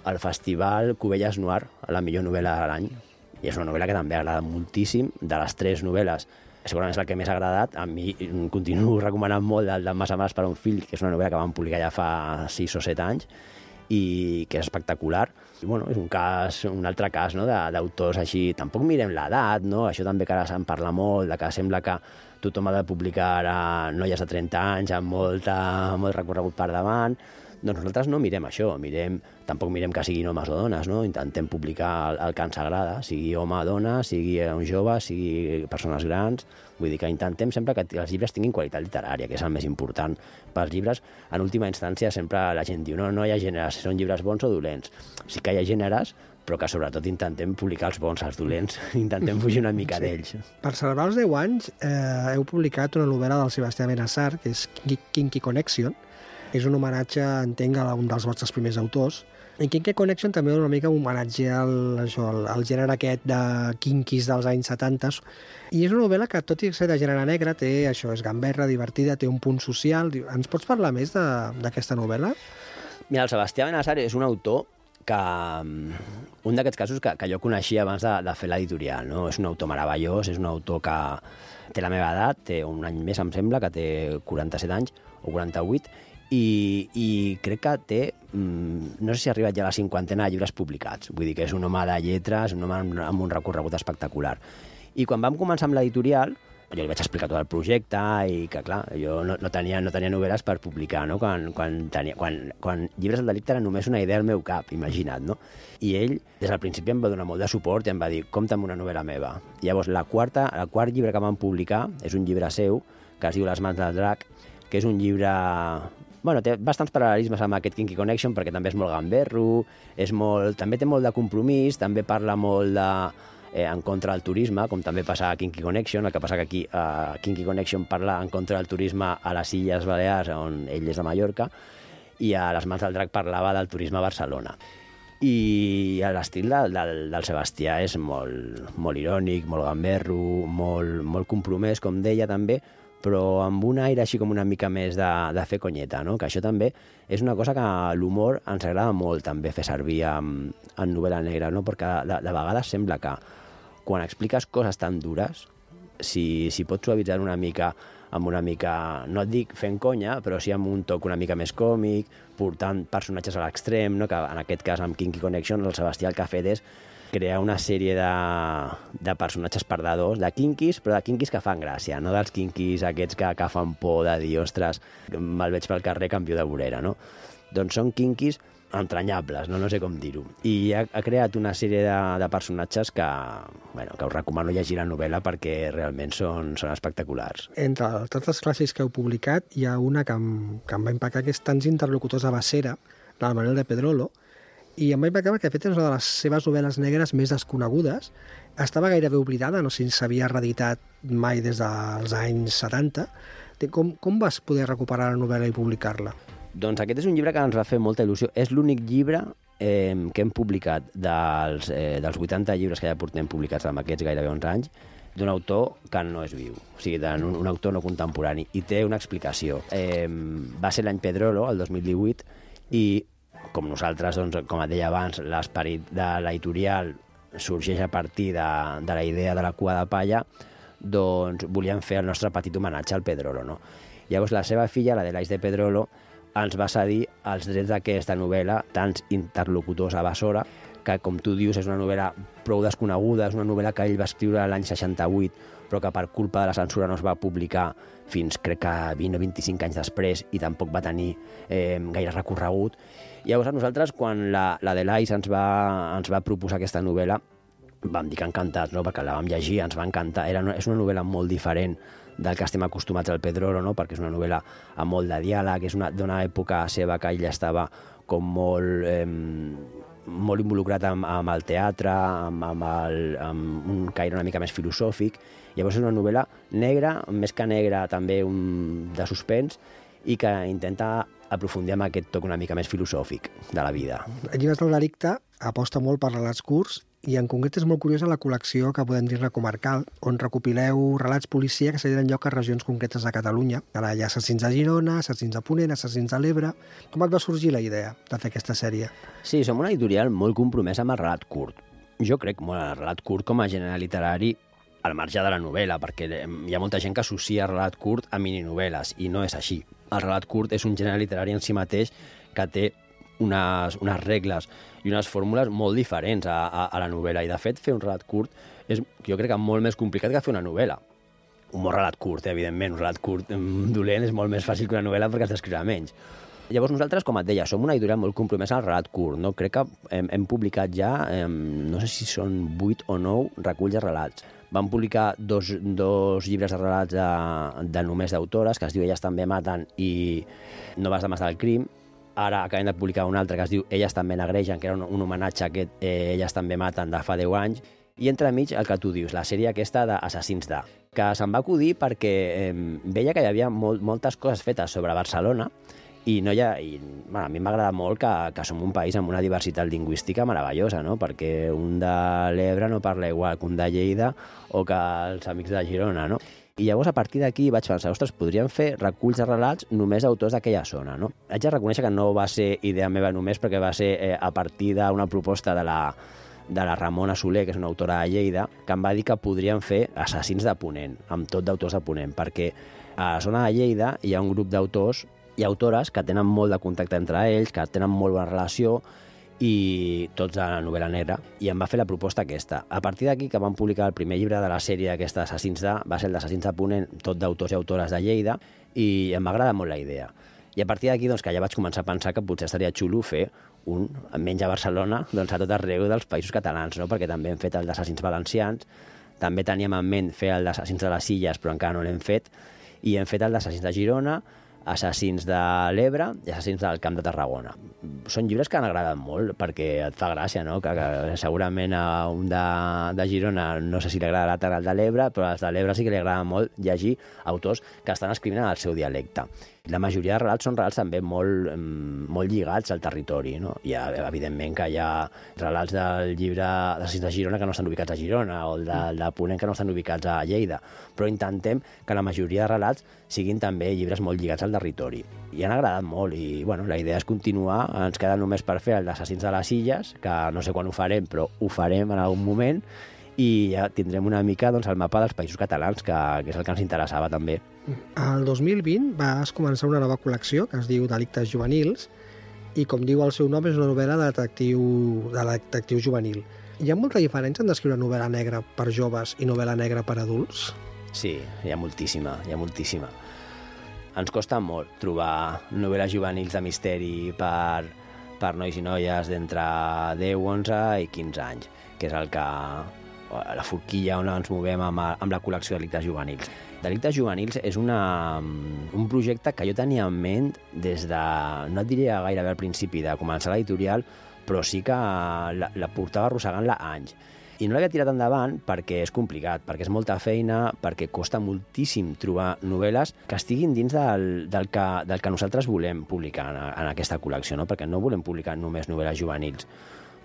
al Festival Cubelles Noir, a la millor novel·la de l'any. I és una novel·la que també agrada moltíssim. De les tres novel·les, segurament és la que més ha agradat. A mi continuo recomanant molt el de Massa males per a un fill, que és una novel·la que vam publicar ja fa sis o set anys i que és espectacular. I bueno, és un cas, un altre cas, no? d'autors així. Tampoc mirem l'edat, no? Això també que ara se'n parla molt, de que sembla que tothom ha de publicar ara noies de trenta anys amb molta, molt recorregut per davant. Doncs nosaltres no mirem això, mirem, tampoc mirem que siguin homes o dones, no? Intentem publicar el, el que ens agrada, sigui home o dona, sigui un jove, sigui persones grans, vull dir que intentem sempre que els llibres tinguin qualitat literària, que és el més important pels llibres. En última instància sempre la gent diu no, no hi ha gèneres, són llibres bons o dolents. Sí que hi ha gèneres, però que sobretot intentem publicar els bons, els dolents, intentem fugir una mica sí. d'ells. Per celebrar els deu anys eh, heu publicat una novel·la del Sebastià Benassar, que és Kinky Connection. És un homenatge, entenc, a un dels vostres primers autors. En Kinky Connection també una mica un homenatge al, això, al, al gènere aquest de kinkis dels anys setanta. I és una novel·la que, tot i ser de gènere negre, té això, és gamberra, divertida, té un punt social. Ens pots parlar més d'aquesta novel·la? Mira, el Sebastià Benassar és un autor que un d'aquests casos que, que jo coneixia abans de, de fer l'editorial, no? És un autor meravellós, és un autor que té la meva edat, té un any més, em sembla, que té quaranta-set anys o quaranta-vuit, i, i crec que té, no sé si ha arribat ja a la cinquantena de llibres publicats, vull dir que és un home de lletres, un home amb un recorregut espectacular. I quan vam començar amb l'editorial, jo li vaig explicar tot el projecte i que, clar, jo no, no, tenia, no tenia novel·les per publicar, no? Quan, quan, tenia, quan, quan Llibres del delicte era només una idea al meu cap, imagina't, no? I ell, des del principi, em va donar molt de suport i em va dir, compta amb una novel·la meva. I llavors, la quarta, el quart llibre que vam publicar és un llibre seu, que es diu Les mans del drac, que és un llibre... Bueno, té bastants paral·lelismes amb aquest Kinky Connection, perquè també és molt gamberro, és molt... també té molt de compromís, també parla molt de... Eh, en contra del turisme, com també passa a Kinky Connection, el que passa que aquí a Kinky Connection parla en contra del turisme a les Illes Balears, on ell és de Mallorca, i a Les mans del drac parlava del turisme a Barcelona. I l'estil del, del, del Sebastià és molt, molt irònic, molt gamberro, molt, molt compromès, com deia també, però amb un aire així com una mica més de, de fer conyeta, no? Que això també és una cosa que l'humor ens agrada molt també fer servir en, en novel·la negra, no? Perquè de, de vegades sembla que quan expliques coses tan dures, si, si pots suavitzar una mica, amb una mica, no et dic fent conya, però sí amb un toc una mica més còmic, portant personatges a l'extrem, no? Que en aquest cas amb Kinky Connection el Sebastià el que ha fet és crear una sèrie de, de personatges perdedors, de kinkis, però de kinkis que fan gràcia, no dels kinkis aquests que, que fan por de dir, ostres, me'l veig pel carrer, canvio de vorera, no? Doncs són kinkis entranyables, no, no sé com dir-ho. I ha, ha creat una sèrie de, de personatges que, bueno, que us recomano llegir la novel·la perquè realment són, són espectaculars. Entre tots els clàssics que heu publicat, hi ha una que em, que em va impactar, que és Tants interlocutors a Bassera, del Manuel de Pedrolo, i em va impactar perquè, de fet, és una de les seves novel·les negres més desconegudes. Estava gairebé oblidada, no sé si s'havia reeditat mai des dels anys setanta. Com, com vas poder recuperar la novel·la i publicar-la? Doncs aquest és un llibre que ens va fer molta il·lusió. És l'únic llibre eh, que hem publicat dels, eh, dels vuitanta llibres que ja portem publicats amb aquests gairebé onze anys, d'un autor que no és viu, o sigui, d'un un autor no contemporani, i té una explicació. Eh, va ser l'any Pedrolo, el dos mil divuit, i com nosaltres, doncs, com et deia abans, l'esperit de l'editorial sorgeix a partir de, de la idea de la cua de palla, doncs volíem fer el nostre petit homenatge al Pedrolo, no? Llavors la seva filla, la de l'Ais de Pedrolo, ens va cedir els drets d'aquesta novel·la, Tants interlocutors a Bassora, que, com tu dius, és una novel·la prou desconeguda, és una novel·la que ell va escriure l'any seixanta-vuit, però que per culpa de la censura no es va publicar fins, crec que vint o vint-i-cinc anys després, i tampoc va tenir eh, gaire recorregut. Llavors, a nosaltres, quan la, la de l'Ais ens va, ens va proposar aquesta novel·la, vam dir que encantats, no? Perquè la vam llegir, ens va encantar. Era una, és una novel·la molt diferent del que estem acostumats al Pedrolo, no? Perquè és una novel·la amb molt de diàleg, és d'una època seva que ell estava com molt, eh, molt involucrat amb, amb el teatre, amb, amb, el, amb un caire una mica més filosòfic. Llavors és una novel·la negra, més que negra també un, de suspens, i que intenta aprofundir amb aquest toc una mica més filosòfic de la vida. Llibres del delicte aposta molt per relats curts, i en concret és molt curiosa la col·lecció que podem dir-ne comarcal, on recopileu relats policia que se tenen lloc a regions concretes de Catalunya. Ara hi ha assassins a Girona, assassins a Ponent, assassins a l'Ebre. Com et va sorgir la idea de fer aquesta sèrie? Sí, som una editorial molt compromesa amb el relat curt. Jo crec molt en el relat curt com a gènere literari al marge de la novel·la, perquè hi ha molta gent que associa el relat curt a mininovel·les, i no és així. El relat curt és un gènere literari en si mateix que té unes, unes regles i unes fórmules molt diferents a, a, a la novel·la, i de fet fer un relat curt és, jo crec que molt més complicat que fer una novel·la. Un bon relat curt, eh, evidentment, un relat curt dolent és molt més fàcil que una novel·la perquè has d'escriure menys, Llavors nosaltres, com et deia, som una editorial molt compromesa al relat curt, no? Crec que hem, hem publicat ja, eh, no sé si són vuit o nou reculls de relats. Vam publicar dos, dos llibres de relats de, de només d'autores, que es diu Elles també maten i Noves dames del crim. Ara acabem de publicar un altre que es diu Elles també negregen, que era un, un homenatge a aquest eh, Elles també maten de fa deu anys. I entremig el que tu dius, la sèrie aquesta d'Assassins de, que se'm va acudir perquè eh, veia que hi havia molt, moltes coses fetes sobre Barcelona i, no hi ha, i bueno, a mi m'agrada molt que, que som un país amb una diversitat lingüística meravellosa, no? Perquè un de l'Ebre no parla igual que un de Lleida o que els amics de Girona, no? I llavors, a partir d'aquí, vaig pensar, ostres, podríem fer reculls de relats només d'autors d'aquella zona, no? Haig de reconèixer que no va ser idea meva només perquè va ser eh, a partir d'una proposta de la, de la Ramona Soler, que és una autora de Lleida, que em va dir que podríem fer Assassins de Ponent, amb tot d'autors de Ponent, perquè a la zona de Lleida hi ha un grup d'autors i autores que tenen molt de contacte entre ells, que tenen molt bona relació, i tots de la novel·la negra, i em va fer la proposta aquesta. A partir d'aquí, que vam publicar el primer llibre de la sèrie aquesta d'Assassins de, va ser el d'Assassins de Ponent, tot d'autors i autores de Lleida, i em va agradar molt la idea. I a partir d'aquí, doncs, que ja vaig començar a pensar que potser estaria xulo fer un, menys a Barcelona, doncs a tot arreu dels països catalans, no? Perquè també hem fet el d'Assassins valencians, també teníem en ment fer el d'Assassins de les Illes, però encara no l'hem fet, i hem fet el d'Assassins de Girona, Assassins de l'Ebre i Assassins del Camp de Tarragona. Són llibres que han agradat molt perquè et fa gràcia, no? Que, que segurament a un de, de Girona no sé si li agradarà tant el de l'Ebre, però als de l'Ebre sí que li agrada molt llegir autors que estan escrivint en el seu dialecte. La majoria de relats són relats també molt, molt lligats al territori, no? Hi ha, evidentment, que hi ha relats del llibre d'Assassins de Girona que no estan ubicats a Girona o el de, de Ponent que no estan ubicats a Lleida, però intentem que la majoria de relats siguin també llibres molt lligats al territori. I han agradat molt i, bueno, la idea és continuar. Ens queda només per fer el d'Assassins de les Illes, que no sé quan ho farem, però ho farem en algun moment, i ja tindrem una mica, doncs, el mapa dels països catalans, que, que és el que ens interessava també. El dos mil vint vas començar una nova col·lecció que es diu Delictes juvenils i, com diu el seu nom, és una novel·la de detectiu, de detectiu juvenil. Hi ha molta diferència en descriure novel·la negra per joves i novel·la negra per adults? Sí, hi ha moltíssima, hi ha moltíssima. Ens costa molt trobar novel·les juvenils de misteri per, per nois i noies d'entre deu, onze i quinze anys, que és el que la forquilla on ens movem amb, amb la col·lecció de Delictes juvenils. Delictes juvenils és una, un projecte que jo tenia en ment des de, no et diria gairebé al principi de començar l'editorial, però sí que la, la portava arrossegant-la anys. I no l'havia tirat endavant perquè és complicat, perquè és molta feina, perquè costa moltíssim trobar novel·les que estiguin dins del, del, que, del que nosaltres volem publicar en, en aquesta col·lecció, no? Perquè no volem publicar només novel·les juvenils.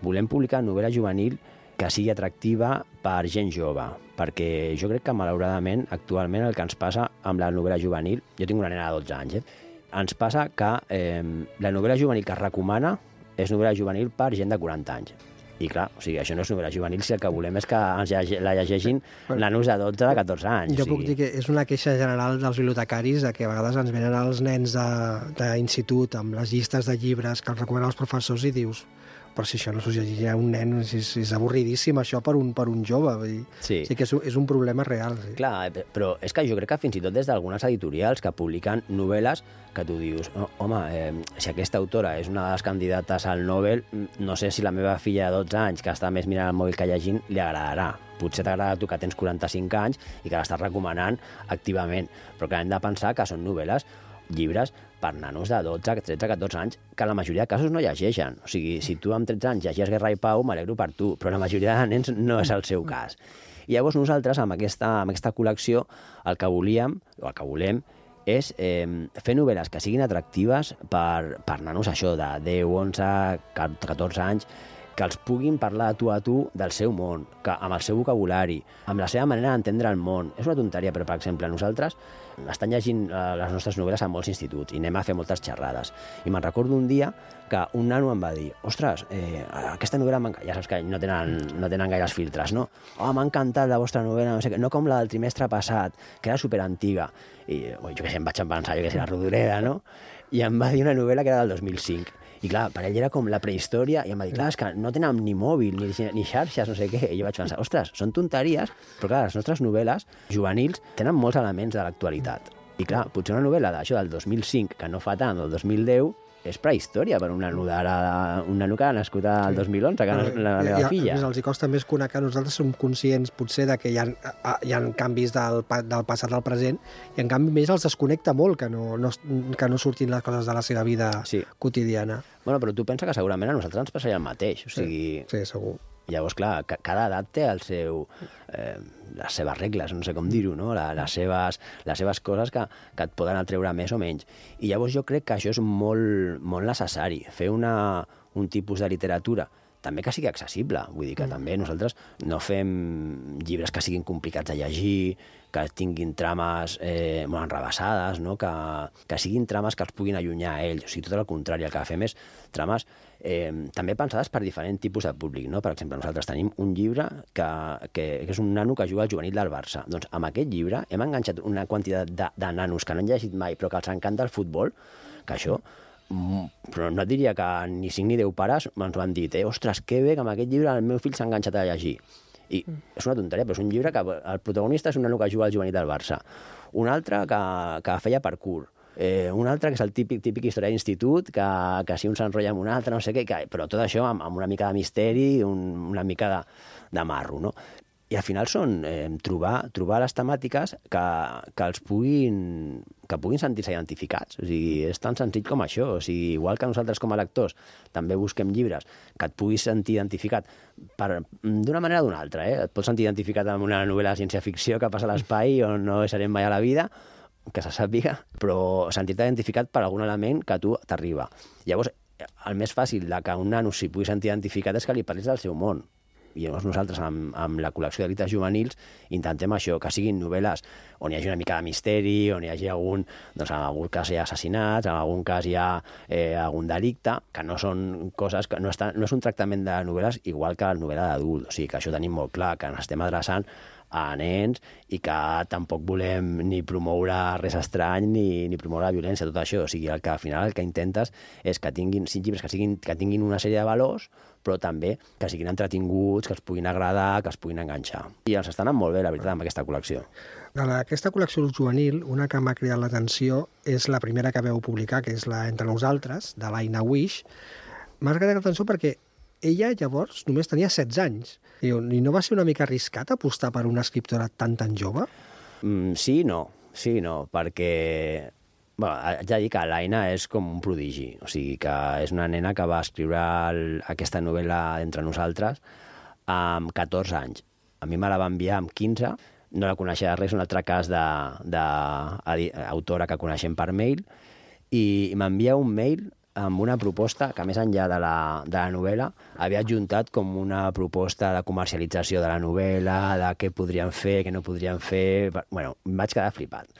Volem publicar novel·la juvenil que sigui atractiva per gent jove, perquè jo crec que, malauradament, actualment el que ens passa amb la novel·la juvenil, jo tinc una nena de dotze anys, eh? Ens passa que eh, la novel·la juvenil que es recomana és novel·la juvenil per gent de quaranta anys. I clar, o sigui, això no és novel·la juvenil, si el que volem és que ens llege, la llegeixin bueno, nanos de dotze, de catorze anys. Jo o sigui. puc dir que és una queixa general dels bibliotecaris de que a vegades ens venen els nens d'institut amb les llistes de llibres que els recomanen els professors i dius, però si això no s'ho llegirà un nen, és, és avorridíssim això per un, per un jove. Vull dir. Sí. Sí que és, és un problema real. Sí. Clar, però és que jo crec que fins i tot des d'algunes editorials que publiquen novel·les que tu dius, oh, home, eh, si aquesta autora és una de les candidates al Nobel, no sé si la meva filla de dotze anys, que està més mirant el mòbil que llegint, li agradarà. Potser t'agrada a tu que tens quaranta-cinc anys i que l'estàs recomanant activament, però que hem de pensar que són novel·les, llibres per nanos de dotze, tretze, catorze anys, que la majoria de casos no llegeixen. O sigui, si tu amb tretze anys llegies Guerra i Pau, m'alegro per tu, però la majoria de nens no és el seu cas. I llavors nosaltres, amb aquesta, amb aquesta col·lecció, el que volíem, o el que volem, és eh, fer novel·les que siguin atractives per, per nanos, això, de deu, onze, catorze anys, que els puguin parlar de tu a tu del seu món, que, amb el seu vocabulari, amb la seva manera d'entendre el món. És una tonteria, però, per exemple, nosaltres estan llegint eh, les nostres novel·les a molts instituts i anem a fer moltes xerrades. I me'n recordo un dia que un nano em va dir, ostres, eh, aquesta novel·la m'encanta. Ja saps que no tenen, no tenen gaires filtres, no? Oh, m'ha encantat la vostra novel·la, no sé què, no com la del trimestre passat, que era superantiga. I oh, jo què sé, em vaig pensar, jo què sé, la Rodoreda, no? I em va dir una novel·la que era del dos mil cinc. I clar, per ell era com la prehistòria, i em va dir, clar, és que no tenen ni mòbil, ni, ni xarxes, no sé què. I jo vaig pensar, ostres, són tonteries, però clar, les nostres novel·les juvenils tenen molts elements de l'actualitat. I clar, potser una novel·la d'això del dos mil cinc, que no fa tant, del dos mil deu, és prehistòria per un nano d'ara, un nano que ha nascut al dos mil onze, que és la, la meva filla. I, els hi costa més conèixer, nosaltres som conscients potser de que hi ha, hi ha canvis del, del passat al present, i en canvi més els desconnecta molt que no, no, que no surtin les coses de la seva vida sí. quotidiana. Bueno, però tu pensa que segurament a nosaltres ens passaria el mateix, o sigui... Sí, sí segur. Llavors, clar, cada edat té el seu, eh, les seves regles, no sé com dir-ho, no? La, les, seves, les seves coses que, que et poden atreure més o menys. I llavors jo crec que això és molt, molt necessari, fer una, un tipus de literatura també que sigui accessible. Vull dir que mm. també nosaltres no fem llibres que siguin complicats de llegir, que tinguin trames eh, molt enrabassades, no? que, que siguin trames que els puguin allunyar a ells. O sigui, tot el contrari, el que fem és trames eh, també pensades per diferents tipus de públic. No? Per exemple, nosaltres tenim un llibre que, que, que és un nano que juga al juvenil del Barça. Doncs amb aquest llibre hem enganxat una quantitat de, de nanos que no han llegit mai però que els encanta el futbol, que això... però no et diria que ni cinc ni deu pares ens ho han dit, eh? Ostres, que bé que amb aquest llibre el meu fill s'ha enganxat a llegir. I mm. és una tonteria, però és un llibre que el protagonista és un nano que juga al juvenil del Barça, un altre que, que feia parkour, eh, un altre que és el típic, típic història d'institut, que, que si un s'enrotlla amb un altre, no sé què, que, però tot això amb, amb una mica de misteri, un, una mica de, de marro, no? I al final són eh, trobar, trobar les temàtiques que, que els puguin, que puguin sentir-se identificats. O sigui, és tan senzill com això. O sigui, igual que nosaltres com a lectors també busquem llibres que et puguis sentir identificat d'una manera o d'una altra. Eh? Et pots sentir identificat amb una novel·la de ciència-ficció que passa a l'espai on no serem mai a la vida, que se sàpiga, però sentir-te identificat per algun element que a tu t'arriba. Llavors, el més fàcil de que un nano s'hi pugui sentir identificat és que li parlis del seu món. I llavors nosaltres, amb, amb la col·lecció de llibres juvenils, intentem això, que siguin novel·les on hi hagi una mica de misteri, on hi hagi algun, doncs en algun cas hi ha assassinats, en algun cas hi ha eh, algun delicte, que no són coses, que no, està, no és un tractament de novel·les igual que la novel·la d'adult. O sigui, que això tenim molt clar, que ens estem adreçant a nens i que tampoc volem ni promoure res estrany ni, ni promoure la violència, tot això. O sigui, el que al final el que intentes és que tinguin cinc llibres que, siguin, que tinguin una sèrie de valors, però també que siguin entretinguts, que els puguin agradar, que els puguin enganxar. I els estan anant molt bé, la veritat, amb aquesta col·lecció. D'aquesta col·lecció juvenil, una que m'ha cridat l'atenció és la primera que veu publicar, que és la Entre nosaltres, de l'Aina Wish. M'ha cridat l'atenció perquè ella llavors només tenia setze anys. I no va ser una mica arriscat apostar per una escriptora tan tan jove? Mm, sí i no, sí i no, perquè... Bueno, haig de dir que l'Aina és com un prodigi, o sigui que és una nena que va escriure el, aquesta novel·la Entre nosaltres amb catorze anys. A mi me la va enviar amb quinze, no la coneixia res, un altre cas d'autora que coneixem per mail, i m'envia un mail amb una proposta que, més enllà de la, de la novel·la, havia adjuntat com una proposta de comercialització de la novel·la, de què podrien fer, què no podrien fer... Bueno, em vaig quedar flipat.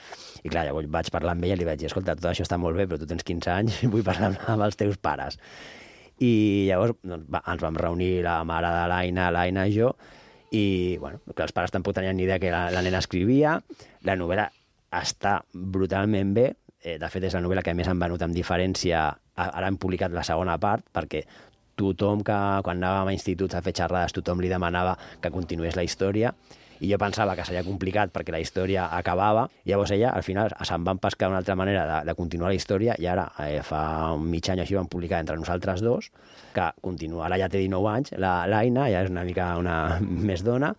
I clar, llavors vaig parlar amb ella i li vaig dir, escolta, tot això està molt bé, però tu tens quinze anys i vull parlar amb els teus pares. I llavors doncs, va, ens vam reunir la mare de l'Aina, l'Aina i jo, i bueno, que els pares tampoc tenien ni idea que la, la nena escrivia. La novel·la està brutalment bé. De fet, és la novel·la que més han venut amb diferència. Ara hem publicat la segona part, perquè tothom que, quan anàvem a instituts a fer xerrades, tothom li demanava que continués la història, i jo pensava que seria complicat perquè la història acabava. Llavors ella, al final, se'n van pescar una altra manera de, de continuar la història, i ara, eh, fa un mig any així, vam publicar Entre nosaltres dos, que continua. Ara ja té dinou anys, l'Aina, ja és una mica una més dona,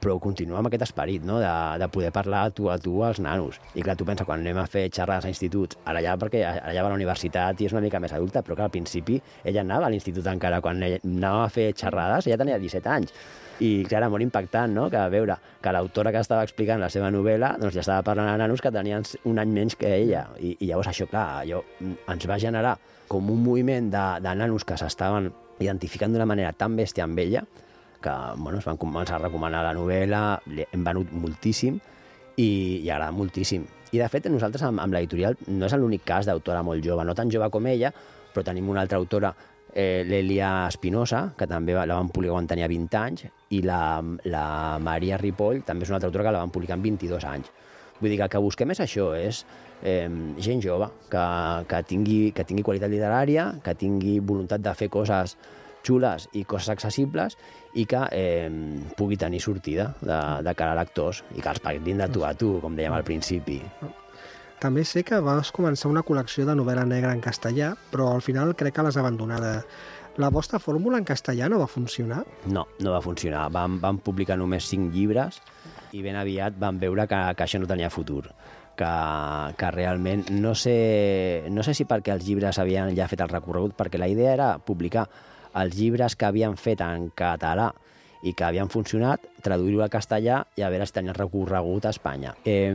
però continua amb aquest esperit, no? de, de poder parlar tu a tu als nanos. I clar, tu pensa, quan anem a fer xerrades a instituts, ara ja, perquè ara ja va a la universitat i és una mica més adulta, però que al principi ella anava a l'institut encara, quan ella anava a fer xerrades, ella tenia disset anys. I clar, era molt impactant, no?, que veure que l'autora que estava explicant la seva novel·la doncs ja estava parlant a nanos que tenien un any menys que ella. I, i llavors això, clar, allò ens va generar com un moviment de, de nanos que s'estaven identificant d'una manera tan bèstia amb ella, que bueno, es van començar a recomanar la novel·la, hem venut moltíssim i, i agrada moltíssim. I de fet, nosaltres amb, amb l'editorial no és l'únic cas d'autora molt jove, no tan jove com ella, però tenim una altra autora, eh, l'Elia Espinosa, que també la van publicar quan tenia vint anys, i la, la Maria Ripoll també és una altra autora que la van publicar amb vint-i-dos anys. Vull dir que el que busquem és això, és eh, gent jove, que, que, tingui, que tingui qualitat literària, que tingui voluntat de fer coses xules i coses accessibles i que eh, pugui tenir sortida de, de cara a lectors i que els paguin de tu a tu, com dèiem al principi. també sé que vas començar una col·lecció de novel·la negra en castellà, però al final crec que l'has abandonada. La vostra fórmula en castellà no va funcionar? No, no va funcionar. Vam, vam publicar només cinc llibres i ben aviat vam veure que, que això no tenia futur. Que, que realment, no sé, no sé si perquè els llibres havien ja fet el recorregut, perquè la idea era publicar els llibres que havien fet en català i que havien funcionat, traduir-ho al castellà i a veure si tenia recorregut a Espanya. Eh,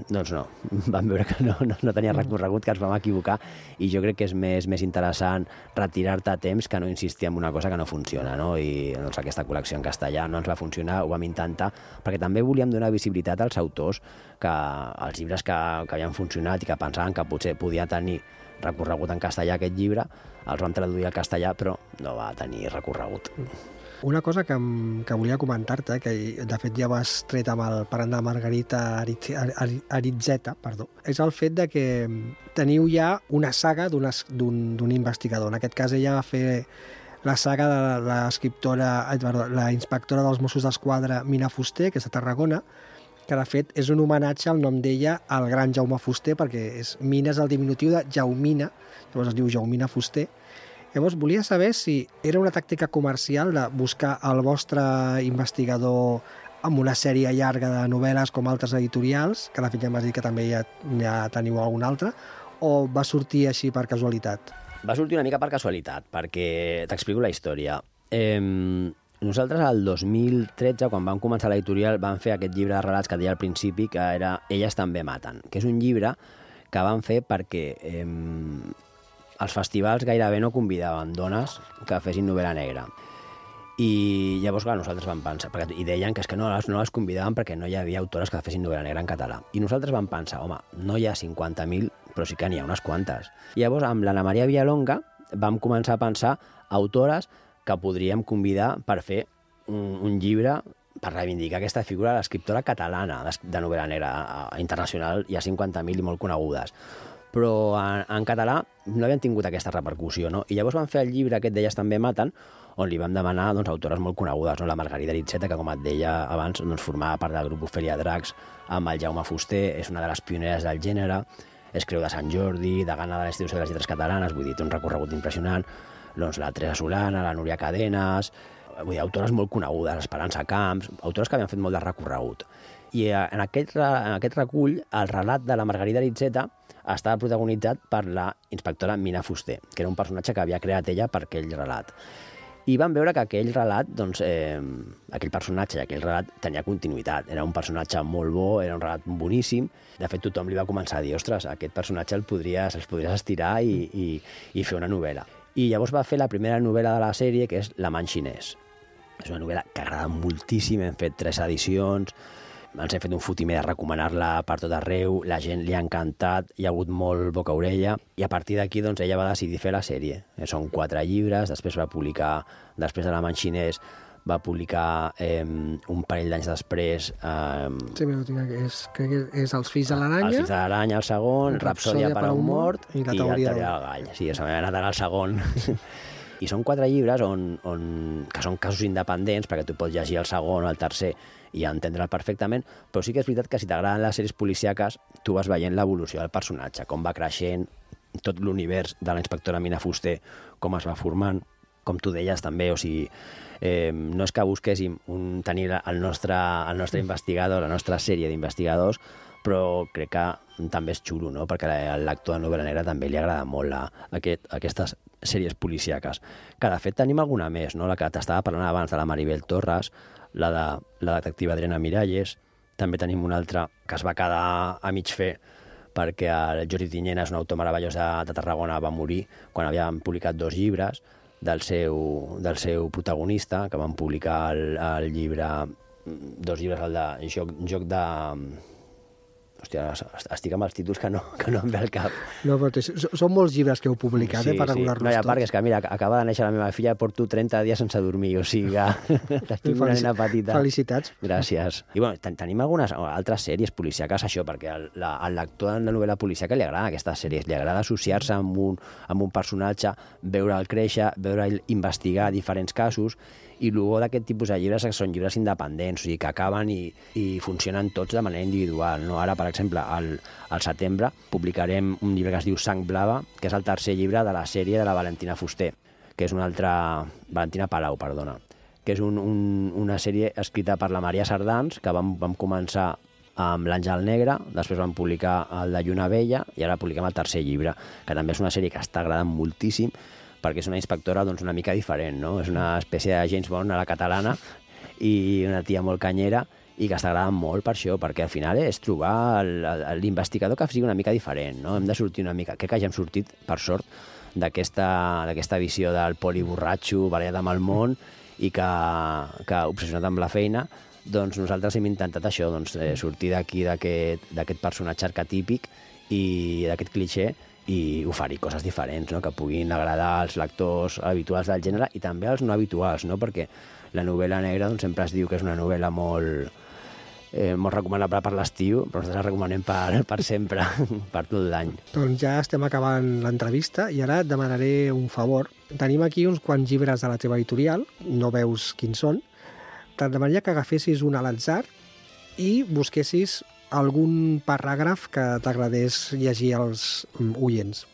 doncs no, vam veure que no, no, no tenia recorregut, que ens vam equivocar, i jo crec que és més, més interessant retirar-te a temps que no insistir en una cosa que no funciona, no? I doncs, aquesta col·lecció en castellà no ens va funcionar, ho vam intentar, perquè també volíem donar visibilitat als autors, que els llibres que, que havien funcionat i que pensaven que potser podia tenir recorregut en castellà aquest llibre, els vam traduir al castellà, però no va tenir recorregut. Una cosa que, que volia comentar-te, que de fet ja vas tret amb el parent de Margarita Aritzeta, perdó, és el fet de que teniu ja una saga d'un investigador. En aquest cas ella va fer la saga de l'escriptora, la inspectora dels Mossos d'Esquadra Mina Fuster, que és de Tarragona, que de fet és un homenatge al nom d'ella al gran Jaume Fuster, perquè és, Mina és el diminutiu de Jaumina, llavors es diu Jaumina Fuster. Llavors, volia saber si era una tàctica comercial de buscar el vostre investigador amb una sèrie llarga de novel·les com altres editorials, que de fet ja m'has dit que també ja, ja teniu algun altre, o va sortir així per casualitat? Va sortir una mica per casualitat, perquè t'explico la història. Eh, nosaltres, el dos mil tretze, quan vam començar l'editorial, vam fer aquest llibre de relats que deia al principi, que era Elles també maten, que és un llibre que vam fer perquè... Eh, els festivals gairebé no convidaven dones que fessin novel·la negra. I llavors, clar, nosaltres vam pensar, perquè, i deien que és que no les, no les convidaven perquè no hi havia autores que fessin novel·la negra en català. I nosaltres vam pensar, home, no hi ha cinquanta mil, però sí que n'hi ha unes quantes. I llavors, amb l'Anna Maria Villalonga, vam començar a pensar autores que podríem convidar per fer un, un llibre per reivindicar aquesta figura de l'escriptora catalana de novel·la negra internacional. Hi ha cinquanta mil i molt conegudes. Però en, en català no havien tingut aquesta repercussió, no? I llavors van fer el llibre aquest d'Elles també maten, on li vam demanar doncs, autores molt conegudes, no? La Margarita Aritzeta, que com et deia abans, doncs, formava part del grup Ofèlia Dracs, amb el Jaume Fuster, és una de les pioneres del gènere, és creu de Sant Jordi, degana de l'Institució de les Lletres Catalanes, vull dir, té un recorregut impressionant, doncs la Teresa Solana, la Núria Cadenes, vull dir, autores molt conegudes, Esperança Camps, autores que havien fet molt de recorregut. I en aquest, en aquest recull, el relat de la Margarita Aritzeta estava protagonitzat per la inspectora Mina Fuster, que era un personatge que havia creat ella per aquell relat. I vam veure que aquell relat, doncs, eh, aquell personatge i aquell relat tenia continuïtat. Era un personatge molt bo, era un relat boníssim. De fet, tothom li va començar a dir, ostres, aquest personatge el podries, els podries estirar i, i, i fer una novel·la. I llavors va fer la primera novel·la de la sèrie, que és L'amant xinès. És una novel·la que agrada moltíssim, hem fet tres edicions, ens hem fet un fotimer de recomanar-la per tot arreu, la gent li ha encantat, hi ha hagut molt boca-orella, i a partir d'aquí doncs, ella va decidir fer la sèrie. Són quatre llibres, després va publicar, després de l'amant xinès, va publicar eh, un parell d'anys després... Eh, sí, però tinc que és, crec que és Els fills de l'aranya. Els fills de l'aranya, el segon, Rapsòdia per a un mort, i La teoria del gall. Sí, se m'ha anat ara el segon. I són quatre llibres on, on, que són casos independents, perquè tu pots llegir el segon o el tercer i entendre'l perfectament, però sí que és veritat que si t'agraden les sèries policíaques, tu vas veient l'evolució del personatge, com va creixent, tot l'univers de la inspectora Mina Fuster, com es va formant, com tu deies també, o sigui, eh, no és que busquéssim un, tenir el nostre, el nostre investigador, la nostra sèrie d'investigadors, però crec que també és xulo, no? Perquè a l'actor de novel·la negra també li agrada molt la, aquest, aquestes sèries policíaques, que de fet tenim alguna més, no? La que t'estava parlant abans de la Maribel Torres, la de la detectiva Adriana Miralles, també tenim una altra que es va quedar a mig fer perquè el Jordi Tinyena és un autor meravellós de, de Tarragona, va morir quan havien publicat dos llibres del seu, del seu protagonista, que van publicar el, el llibre, dos llibres, el de joc, joc de... Hòstia, estic amb els títols que no, que no em ve al cap. No, però són molts llibres que heu publicat, sí, eh, per regular-los sí. No, i a part, tots. És que mira, acaba de néixer la meva filla, porto trenta dies sense dormir, o sigui que tinc una nena petita. Felicitats. Gràcies. I bueno, ten tenim algunes altres sèries policíaques, això, perquè al, la, al lector de novel·la policíaca li agrada aquestes sèries, li agrada associar-se amb un, amb un personatge, veure'l créixer, veure'l investigar diferents casos, I el bo d'aquest tipus de llibres és que són llibres independents, o sigui, que acaben i, i funcionen tots de manera individual. No? Ara, per exemple, al, al setembre publicarem un llibre que es diu Sang Blava, que és el tercer llibre de la sèrie de la Valentina Fuster, que és una altra... Valentina Palau, perdona, que és un, un, una sèrie escrita per la Maria Sardans, que vam, vam començar amb l'Àngel Negre, després vam publicar el de Lluna Vella i ara publiquem el tercer llibre, que també és una sèrie que està agradant moltíssim perquè és una inspectora doncs, una mica diferent, no? És una espècie de James Bond a la catalana i una tia molt canyera i que està agradant molt per això, perquè al final és trobar l'investigador que sigui una mica diferent, no? Hem de sortir una mica... Crec que ja hem sortit, per sort, d'aquesta visió del poli borratxo, barallat amb el món i que, que obsessionat amb la feina, doncs nosaltres hem intentat això, doncs, eh, sortir d'aquí, d'aquest personatge arquetípic i d'aquest clixé i oferir coses diferents, no? Que puguin agradar als lectors habituals del gènere i també als no habituals, no? Perquè la novel·la negra doncs, sempre es diu que és una novel·la molt, eh, molt recomanable per l'estiu, però nosaltres la recomanem per, per sempre, per tot l'any. Doncs ja estem acabant l'entrevista i ara et demanaré un favor. Tenim aquí uns quants llibres de la teva editorial, no veus quins són. Te'n demanaria que agafessis un a l'atzar i busquessis algun paràgraf que t'agradés llegir als oients.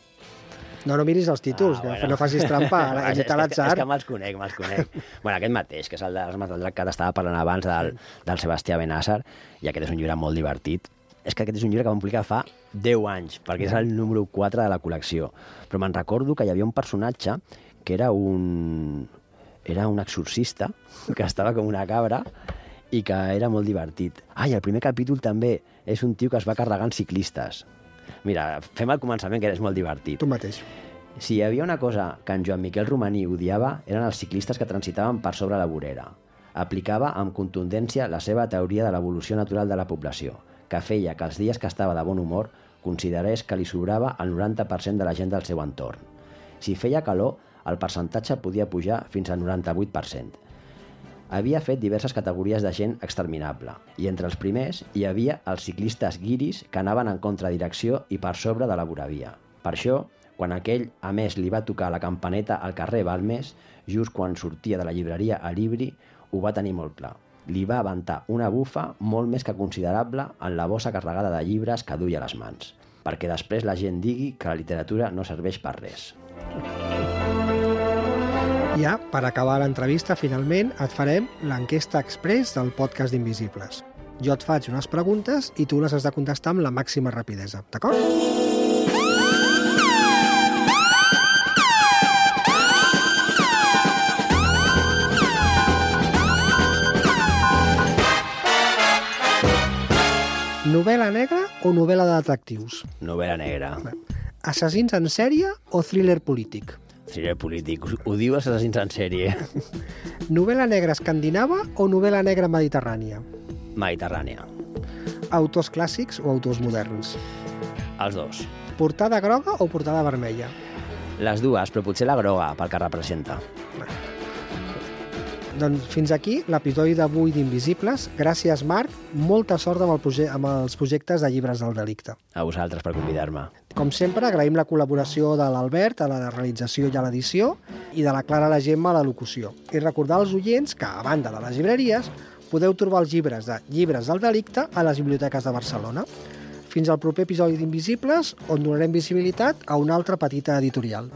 No, no miris els títols, ah, que bueno. No facis trampa. Ara, és, és, és que me'ls conec, me'ls conec. Bueno, aquest mateix, que és el de les Armes del Drac que t'estava parlant abans, del, del Sebastià Benàsser, i aquest és un llibre molt divertit. És que aquest és un llibre que vam publicar fa deu anys, perquè és el número quatre de la col·lecció. Però me'n recordo que hi havia un personatge que era un... era un exorcista, que estava com una cabra, i que era molt divertit. Ah, i el primer capítol també és un tio que es va carregant ciclistes. Mira, fem el començament, que és molt divertit. Tu mateix. Si hi havia una cosa que en Joan Miquel Romaní odiava, eren els ciclistes que transitaven per sobre la vorera. Aplicava amb contundència la seva teoria de l'evolució natural de la població, que feia que els dies que estava de bon humor considerés que li sobrava el noranta per cent de la gent del seu entorn. Si feia calor, el percentatge podia pujar fins al noranta-vuit per cent. Havia fet diverses categories de gent exterminable, i entre els primers hi havia els ciclistes guiris que anaven en contradirecció i per sobre de la voravia. Per això, quan aquell, a més, li va tocar la campaneta al carrer Balmes, just quan sortia de la llibreria a Libri, ho va tenir molt clar. Li va aventar una bufa molt més que considerable en la bossa carregada de llibres que duia a les mans, perquè després la gent digui que la literatura no serveix per res. Ja, per acabar l'entrevista, finalment, et farem l'enquesta express del podcast d'Invisibles. Jo et faig unes preguntes i tu les has de contestar amb la màxima rapidesa, d'acord? Novel·la negra o novel·la de detectius? Novel·la negra. Assassins en sèrie o thriller polític? Thriller polític. Ho diu Assassins en sèrie. Novel·la negra escandinava o novel·la negra mediterrània? Mediterrània. Autors clàssics o autors moderns? Els dos. Portada groga o portada vermella? Les dues, però potser la groga, pel que representa. Doncs fins aquí l'episodi d'avui d'Invisibles. Gràcies, Marc. Molta sort amb, el proje amb els projectes de Llibres del Delicte. A vosaltres per convidar-me. Com sempre, agraïm la col·laboració de l'Albert a la realització i a l'edició i de la Clara la Gemma a la locució. I recordar als oients que, a banda de les llibreries, podeu trobar els llibres de Llibres del Delicte a les biblioteques de Barcelona. Fins al proper episodi d'Invisibles, on donarem visibilitat a una altra petita editorial.